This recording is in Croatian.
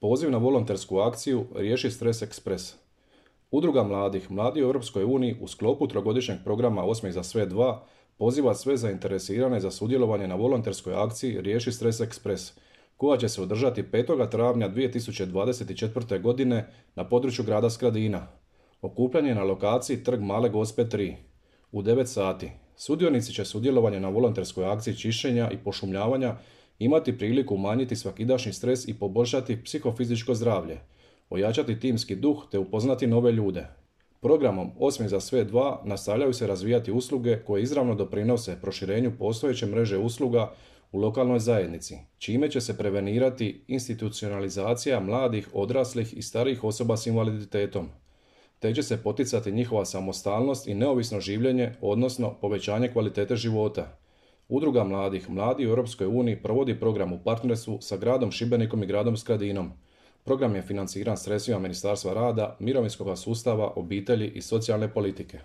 Poziv na volontersku akciju Riješi stres ekspres. Udruga mladih, Mladi u Europskoj uniji u sklopu trogodišnjeg programa Osmijeh za sve 2 poziva sve zainteresirane za sudjelovanje na volonterskoj akciji Riješi stres ekspres, koja će se održati 5. travnja 2024. godine na području grada Skradina. Okupljanje na lokaciji Trg Male Gospe 3. U 9 sati. Sudionici će sudjelovanje na volonterskoj akciji čišćenja i pošumljavanja imati priliku umanjiti svakidašnji stres i poboljšati psihofizičko zdravlje, ojačati timski duh te upoznati nove ljude. Programom Osmijeh za sve 2 nastavljaju se razvijati usluge koje izravno doprinose proširenju postojeće mreže usluga u lokalnoj zajednici, čime će se prevenirati institucionalizacija mladih, odraslih i starijih osoba s invaliditetom, te će se poticati njihova samostalnost i neovisno življenje, odnosno povećanje kvalitete života. Udruga mladih, Mladi u Europskoj uniji provodi program u partnerstvu sa gradom Šibenikom i gradom Skradinom. Program je financiran sredstvima Ministarstva rada, mirovinskog sustava, obitelji i socijalne politike.